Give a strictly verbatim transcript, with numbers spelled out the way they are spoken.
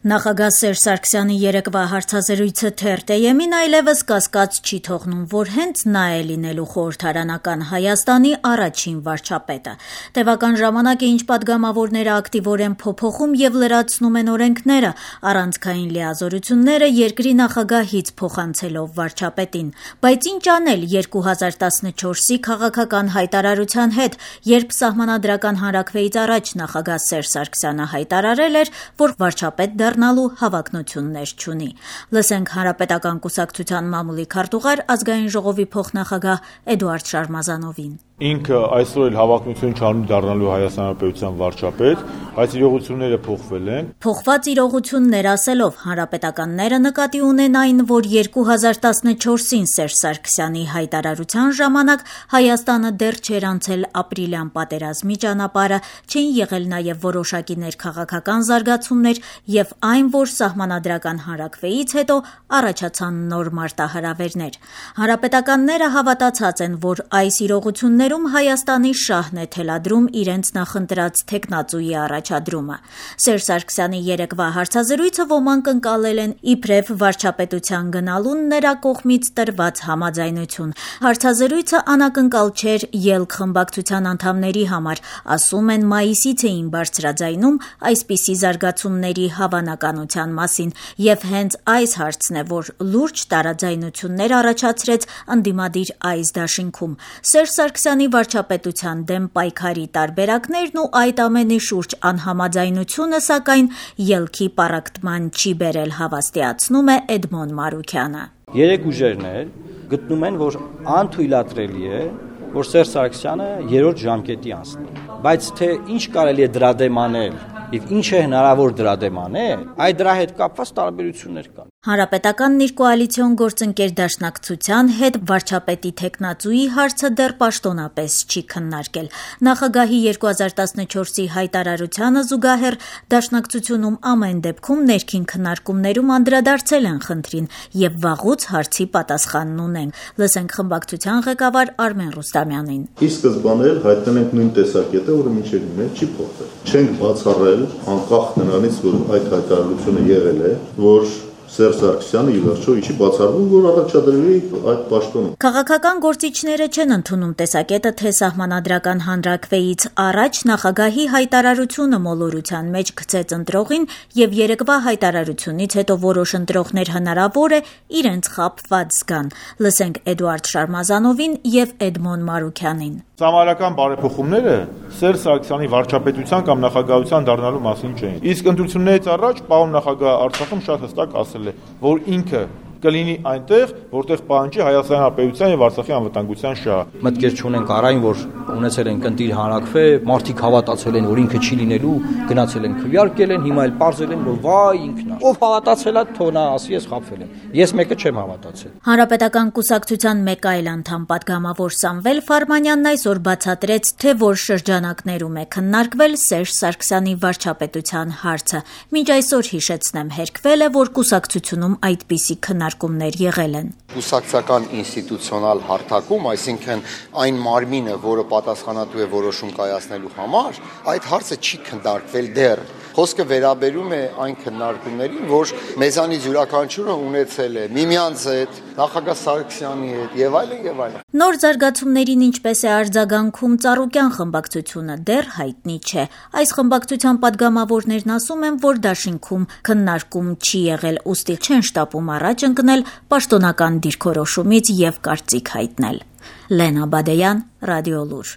Նախագահ Սերժ Սարգսյանի երեկվա հարցազրույցը թերթ-ԵՄ-ին այլևս կասկած չի թողնում, որ հենց նա է լինելու խորհրդարանական Հայաստանի առաջին վարչապետը։ Տևական ժամանակ է, ինչ պատգամավորները ակտիվորեն փոփոխում եւ լրացնում են օրենքները, առանցքային լիազորությունները երկրի նախագահից փոխանցելով վարչապետին։ Բայց ինչ անել երկու հազար տասնչորսի քաղաքական հայտարարության հետ, երբ Սահմանադրական հանրաքվեից առաջ նախագահ Սերժ Սարգսյանը հայտարարել էր, որ վարչապետ դառնալու հավակնություններ չունի։ Լսենք Հանրապետական կուսակցության մամուլի քարտուղար, Ազգային ժողովի փոխնախագահ Էդուարդ Շարմազանովին։ Ինքը այսօր էլ հավակնություն չունի դառնալու Հայաստան Հանրապետության վարչապետ, բայց իրողությունները փոխվել են։ Փոխված իրողություններ ասելով հանրապետականները նկատի ունեն այն, որ երկու հազար տասնչորսին Սերժ Սարգսյանի հայտարարության ժամանակ Հայաստանը դեռ չէր անցել ապրիլյան պատերազմի ճանապարհը, չէին եղել նաև որոշակի ներքաղաքական զարգացումներ եւ այն, որ Սահմանադրական հանրաքվեից հետո առաջացան նոր մարտահրավերներ։ Հանրապետականները հավատացած են, որ այս իրողությունները Հայաստանի շահն է թելադրում իրենց նախընտրած թեկնածուի առաջադրումը։ Սերժ Սարգսյանի երեկվա հարցազրույցը ոմանք ընկալել են իբրև վարչապետության գնալուն նրա կողմից տրված համաձայնություն։ Հարցազրույցը անակնկալ չէր ԵԼՔ խմբակցության անդամների համար, ասում են մայիսից էին բարձրաձայնում այսպիսի զարգացումների հավանականության մասին, եւ հենց այս հարցն է, որ լուրջ տարաձայնություններ առաջացրեց ընդդիմադիր այս դաշինքում։ Սերժ Սարգսյանի վարչապետության դեմ պայքարի տարբերակներն ու այդ ամենի շուրջ անհամաձայնությունը, սակայն ելքի պառակտման չի բերել, հավաստիացնում է Էդմոն Մարուքյանը։ Երեք ուժերներ գտնում են, որ անթույլատրելի է, որ Սերժ Սարգսյանը երրորդ ժամկետի անցնի, բայց թե ինչ կարելի է դրա դեմ անել եւ ինչ է հնարավոր դրա դեմ անել, այդ դրա հետ կապված տարբերություններ կան։ Հանրապետականն իր կոալիցիոն գործընկեր Դաշնակցության հետ վարչապետի թեկնածուի հարցը դեռ պաշտոնապես չի քննարկել։ Նախագահի երկու հազար տասնչորսի հայտարարությանը զուգահեռ Դաշնակցությունում ամեն դեպքում ներքին քննարկումներում անդրադարձել են խնդրին եւ վաղուց հարցի պատասխանն ունեն։ Լսենք խմբակցության ղեկավար Արմեն Ռուստամյանին։ Ի սկզբանե հայտնել ենք նույն տեսակետը, որը մինչև հիմա չի փոխվել։ Չենք բացառել, անկախ նրանից, որ այդ հայտարարությունը եղել է, որ Սերժ Սարգսյանը ի վերջո չի բացառվում, որ առաջադրվի այդ պաշտոնը։ Քաղաքական գործիչները չեն ընդունում տեսակետը, թե Սահմանադրական հանրաքվեից առաջ նախագահի հայտարարությունը մոլորության մեջ գցեց ընտրողին եւ երեկվա հայտարարությունից հետո որոշ ընտրողներ հնարավոր է իրենց խաբված զգան։ Լսենք Էդուարդ Շարմազանովին եւ Էդմոն Մարուքյանին։ Սահմանադրական բարեփոխումները Սերժ Սարգսյանի վարչապետության կամ նախագահության դառնալու մասին չէին։ Իսկ ընտրություններից առաջ պարոն նախագահը Արցախում շատ հստակ ասել է, որ ինքը կլինի այնտեղ, որտեղ պահանջի Հայաստանի Հանրապետության եւ Արցախի անվտանգության շահը։ Մտքեր չունենք առայն, որ ունեցել են կընտիր հանրաքվե, մարդիկ հավատացել են, որ ինքը չի լինելու, գնացել են քվեարկել են, հիմա էլ պարզել են, որ վայ ինքն է։ Ով հավատացել է, թող նա ասի, ես խաբվել եմ։ Ես մեկը չեմ հավատացել։ Հանրապետական կուսակցության մեկ այլ անդամ պատգամավոր Սամվել Ֆարմանյանն այսօր բացատրեց, թե որ շրջանակներում է քննարկվել Սերժ Սարգսյանի վարչապետության հարցը։ Մինչ այսօր հիշեցնեմ, հերքվել է, որ կուսակցությունում այդպիսի քննարկումներ եղել են։ Կուսակցական ինստիտուցիոնալ հարթակում, այսինքն այն մարմինը, որը պատասխանատու է որոշում կայացնելու համար, այդ հարցը չի քննարկվել դեռ։ Խոսքը վերաբերում է այն քննարկումներին, որ մեզանից յուրաքանչյուրը ունեցել է միմյանց հետ, նախագահ Սարգսյանի հետ եւ այլն եւ այլն։ Նոր զարգացումներին ինչպես է արձագանքում Ծառուկյան խմբակցությունը դեռ հայտնի չէ։ Այս խմբակցության պատգամավորներն ասում են, որ դաշինքում քննարկում չի եղել, ուստի չեն շտապում առաջ ընկնել պաշտոնական դիրքորոշումից եւ կարծիք հայտնել։ Լենա Բադեյան, Ռադիոլուր։